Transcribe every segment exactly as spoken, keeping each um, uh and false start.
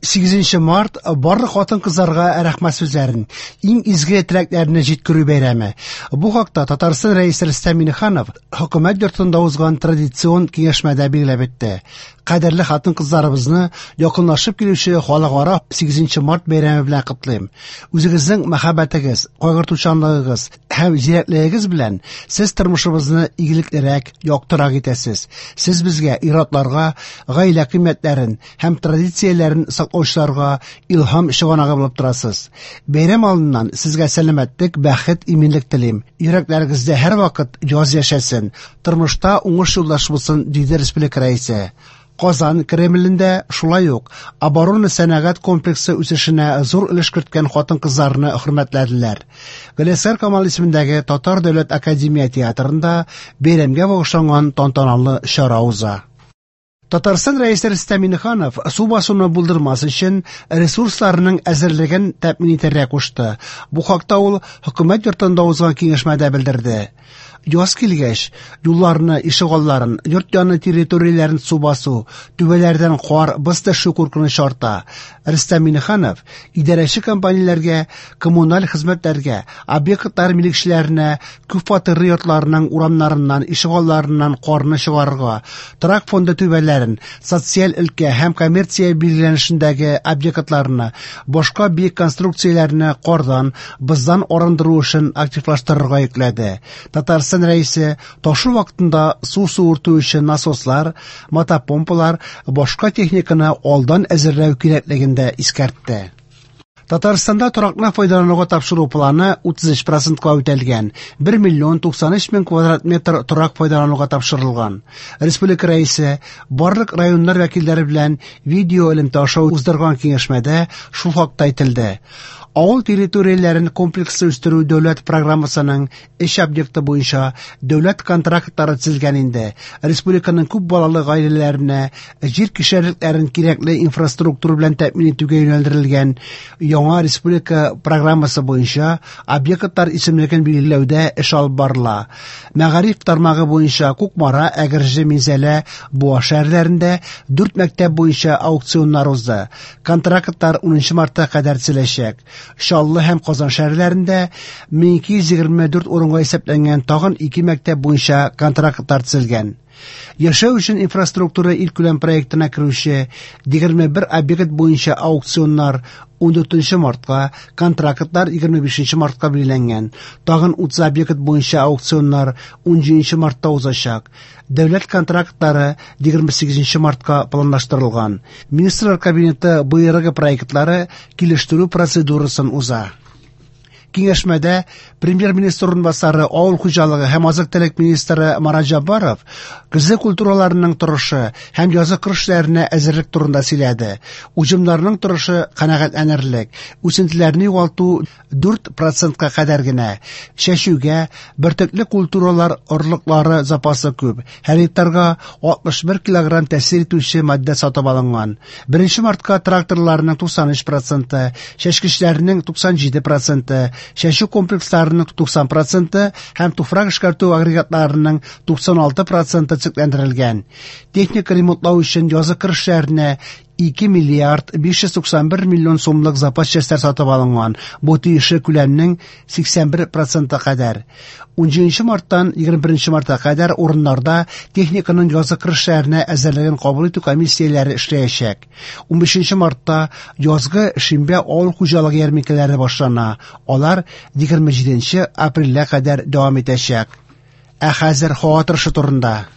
Сигезенче март барлык хатын-кызларга рәхмәт сүзләрен, иң изге теләкләрне җиткерү бәйрәме. Бу хакта Татарстан Рәисе Рөстәм Миңнеханов Хөкүмәт йортында узган традицион киңәшмәдә билгеләп үтте. Кадерле хатын-кызларыбызны якынлашып килүче халыкара сигезенче март бәйрәме белән котлыйм. Үзегезнең мәхәббәтегез, кайгыртучанлыгыгыз һәм зирәклегегез белән сез тормышыбызны игелеклерәк, яктырак итәсез. Сез безгә, ир-атларга, гаилә кыйммәтләрен һәм традицияләрен саклаучыларга илһам чыганагы булып торасыз. Бәйрәм алдыннан сезгә сәламәтлек, бәхет, иминлек телим. Йөрәкләрегездә һәрвакыт яз яшәсен, тормышта уңыш юлдаш булсын, диде республика рәисе. Казан Кремлендә шулай ук оборона сәнәгать комплексы үсешенә зур өлеш керткән хатын-кызларны хөрмәтләделәр. Галиәсгар Камал исемендәге Татар дәүләт академия театрында бәйрәмгә багышланган тантаналы чара уза. Татарстан Рәисе Рөстәм Миңнеханов су басуны булдырмас өчен ресурсларның әзерлеген тәэмин итәргә кушты. Бу хакта ул Хөкүмәт йортында узган киңәшмәдә белдерде. Яз килгәч, юлларны, ишегалларын, йорт яны территорияләрен су басу, түбәләрдән кар, боз төшү куркынычы арта. Рөстәм Миңнеханов идарәче компанияләргә, коммуналь хезмәтләргә, объектлар милекчеләренә күп фатирлы йортларның урамнарыннан, ишегалларыннан карны чыгарырга, торак фонды түбәләрен, социаль өлкә һәм коммерция билгеләнешендәге объектларны, башка биек конструкцияләрне кардан, боздан арындыру эшен активлаштырырга йөкләде. Татарстан Рәисе ташу вакытында су суырту өчен насослар, мотопомпалар, башка техниканы алдан әзерләү кирәклеген дә искәртте. Татарстанда торакны файдалануга тапшыру планы утыз өч процентка үтәлгән. Бер миллион туксан өч мең квадрат метр торак файдалануга тапшырылган. Республика Рәисе барлык районнар вәкилләре белән видео элемтә аша уздырган киңәшмәдә шул хакта әйтелде. Авыл территорияләрен комплекслы үстерү дәүләт программасының эш объекты буенча дәүләт контрактлары төзелгән инде. Республиканың күп балалы гаиләләренә җир кишәрлекләрен кирәкле инфраструктура белән тәэмин итүгә юнәлдерелгән яңа республика программасы буенча объектлар исемлеген билгеләүдә эш алып барыла. Мәгариф тармагы буенча Кукмара, Әгерҗе, Минзәлә, Буа шәһәрләрендә дүрт мәктәп буенча аукционнар узды. Контрактлар унынчы мартка кадәр төзеләчәк. Чаллы һәм Казан шәһәрләрендә мең ике йөз егерме дүрт урынга исәпләнгән тагын ике мәктәп буенча контрактлар төзелгән. Яшәү өчен инфраструктура илкүләм проектына керүче егерме бер объект буенча аукционнар ундүртенче мартка, контрактлар егерме бишенче мартка билгеләнгән. Тагын утыз объект буенча аукционнар унҗиденче мартта узачак. Дәүләт контрактлары егерме сигезенче мартка планлаштырылган. Министрлар Кабинеты боерыгы проектлары килештерү процедурасын уза. Киңәшмәдә премьер-министр урынбасары, авыл хуҗалыгы һәм азык-төлек министры Марат Җәббаров көзге культураларының торышы һәм язгы кыр эшләренә әзерлек турында сөйләде. Уҗымнарның торышы канәгатьләнерлек, үсентеләрне югалту дүрт процентка кадәр генә. Чәчүгә бөртекле культуралар орлыклары запасы күп. Һәр гектарга алтмыш бер килограмм тәэсир итүче матдә сатып алынган. Беренче мартка тракторларның туксан өч проценты, чәчкечләрнең туксан җиде проценты, чәчү комплексларының туксан проценты һәм туфрак эшкәртү агрегатларының туксан алты проценты төзекләндерелгән. Техника ремонтлау өчен язгы кыр эшләренә ике миллиард биш йөз туксан бер миллион сумлык запас частьләр сатып алынган. Бу тиешле күләмнең сиксән бер проценты кадәр. Унҗиденче марттан егерме беренче мартка кадәр урыннарда техниканың язгы кыр эшләренә әзерлеген кабул итү комиссияләре эшләячәк. Унбишенче мартта язгы шимбә авыл хуҗалыгы ярминкәләре башлана. Алар егерме җиденче апрельгә кадәр дәвам итәчәк. Ә хәзер һава торышы турында.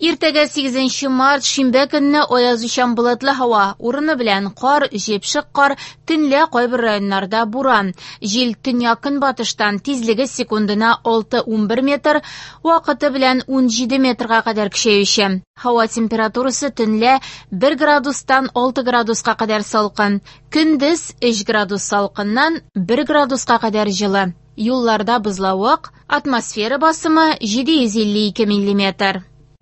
Иртәгә сигезенче март шимбә көнне аязучан болытлы һава, урыны белән кар, җепшек кар, төнлә кайбер районнарда буран. Җил төньяк-көнбатыштан, тизлеге секундына алты унбер метр, вакыты белән унҗиде метрга кадәр көчәюче. Һава температурасы төнлә бер градустан алты градуска кадәр салкын, көндез өч градус салкыннан бер градуска кадәр җылы. Юлларда бозлавык, атмосфера басымы җиде йөз илле ике миллиметр.